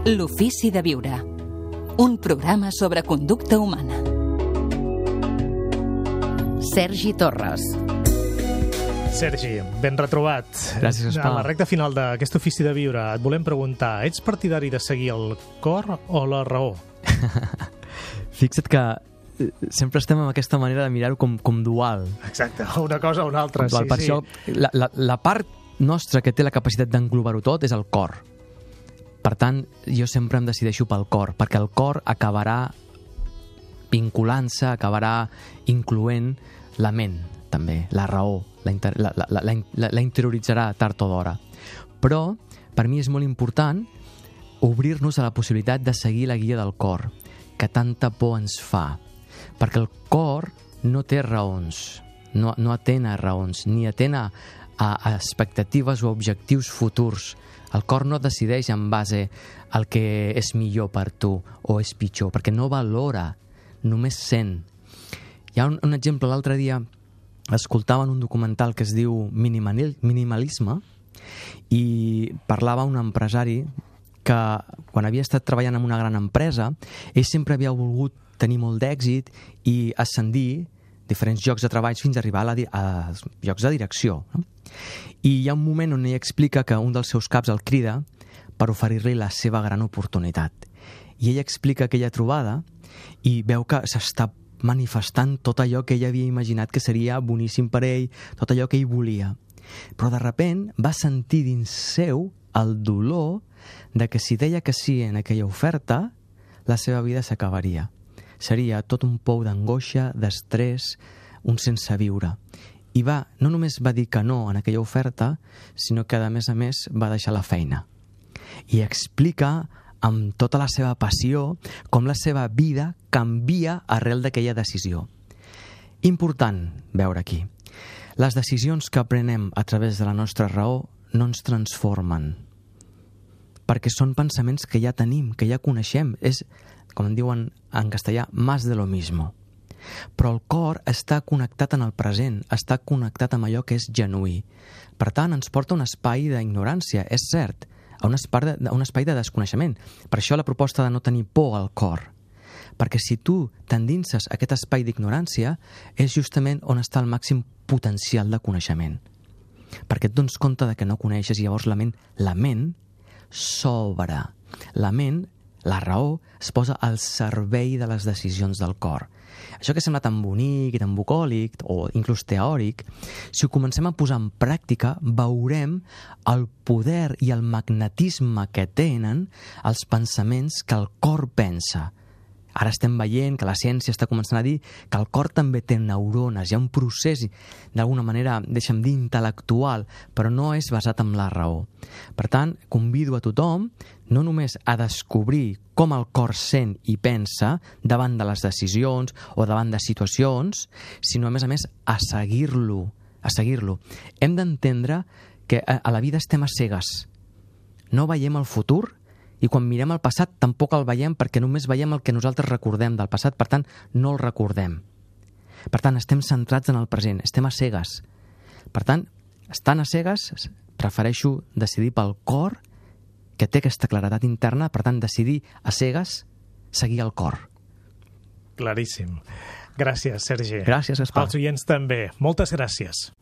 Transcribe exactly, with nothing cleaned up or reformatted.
L'ofici de viure. Un programa sobre conducta humana. Sergi Torres. Sergi, ben retrobat. Gràcies, Espà. A la recta final d'aquest ofici de viure et volem preguntar, ets partidari de seguir el cor o la raó? Fixa't que sempre estem amb aquesta manera de mirar-ho com, com dual. Exacte, una cosa o una altra. Dual. Sí, per sí. això, la, la, la part nostra que té la capacitat d'englobar-ho tot és el cor. Per tant, jo sempre em decideixo pel cor, perquè el cor acabarà vinculant-se, acabarà incloent la ment, també, la raó, la, inter, la, la, la, la, la interioritzarà tard o d'hora. Però, per mi és molt important obrir-nos a la possibilitat de seguir la guia del cor, que tanta por ens fa. Perquè el cor no té raons, no, no atén a raons, ni atén a, a expectatives o objectius futurs. El cor no decideix en base al que és millor per tu o és pitjor, perquè no valora, només sent. Hi ha un, un exemple, l'altre dia escoltava en un documental que es diu Minimalisme i parlava un empresari que quan havia estat treballant en una gran empresa, ell sempre havia volgut tenir molt d'èxit i ascendir diferents llocs de treball fins a arribar a, la, a llocs de direcció. No? I hi ha un moment on ell explica que un dels seus caps el crida per oferir-li la seva gran oportunitat. I ell explica aquella trobada i veu que s'està manifestant tot allò que ell havia imaginat que seria boníssim per ell, tot allò que ell volia. Però de sobte va sentir dins seu el dolor de que si deia que sí en aquella oferta, la seva vida s'acabaria. Seria tot un pou d'angoixa, d'estrès, un sense viure. I va, no només va dir que no en aquella oferta, sinó que a més a més va deixar la feina. I explica amb tota la seva passió com la seva vida canvia arrel d'aquella decisió. Important veure aquí. Les decisions que prenem a través de la nostra raó no ens transformen, perquè són pensaments que ja tenim, que ja coneixem. És, com en diuen en castellà, más de lo mismo. Però el cor està connectat en el present, està connectat amb allò que és genuí. Per tant, ens porta a un espai d'ignorància, és cert, a un espai de, un espai de desconeixement. Per això la proposta de no tenir por al cor. Perquè si tu t'endinses a aquest espai d'ignorància, és justament on està el màxim potencial de coneixement. Perquè et dones compte de que no coneixes i llavors la ment, la ment s'obre. La ment, la raó, es posa al servei de les decisions del cor. Això que sembla tan bonic i tan bucòlic, o inclús teòric, si ho comencem a posar en pràctica, veurem el poder i el magnetisme que tenen els pensaments que el cor pensa. Ara estem veient que la ciència està començant a dir que el cor també té neurones, hi ha un procés, d'alguna manera, deixa'm dir, intel·lectual, però no és basat en la raó. Per tant, convido a tothom no només a descobrir com el cor sent i pensa davant de les decisions o davant de situacions, sinó, a més a més, a seguir-lo. A seguir-lo. Hem d'entendre que a la vida estem a cegues. No veiem el futur, i quan mirem el passat tampoc el veiem perquè només veiem el que nosaltres recordem del passat, per tant, no el recordem. Per tant, estem centrats en el present, estem a cegues. Per tant, estant a cegues, prefereixo decidir pel cor, que té aquesta claredat interna, per tant, decidir a cegues, seguir el cor. Claríssim. Gràcies, Sergi. Gràcies, Gaspar. Els oients també. Moltes gràcies.